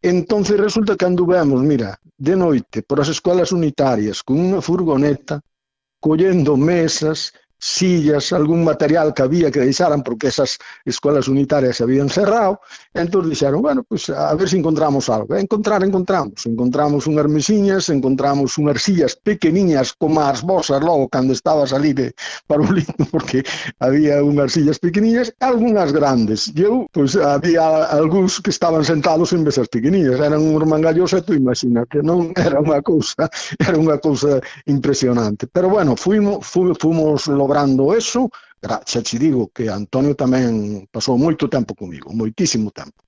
Entonces resulta que anduvemos, mira, de noite por as escolas unitarias con unha furgoneta collendo mesas, sillas, algún material que había que deixaran porque esas escolas unitarias se habían cerrado, e entón dixeron, bueno, pues a ver se encontramos algo. E encontramos unhas mesiñas, encontramos unhas sillas pequeniñas como as vosas logo cando estabas ali de Parolito, porque había unhas sillas pequeniñas e algunhas grandes. E eu, pues había algúns que estaban sentados en mesas pequeniñas, eran uns mangallos e tú imagínate, non era unha cousa impresionante. Pero bueno, fomos logrando eso. Xa te digo que Antonio tamén pasou moito tempo comigo, moitísimo tempo.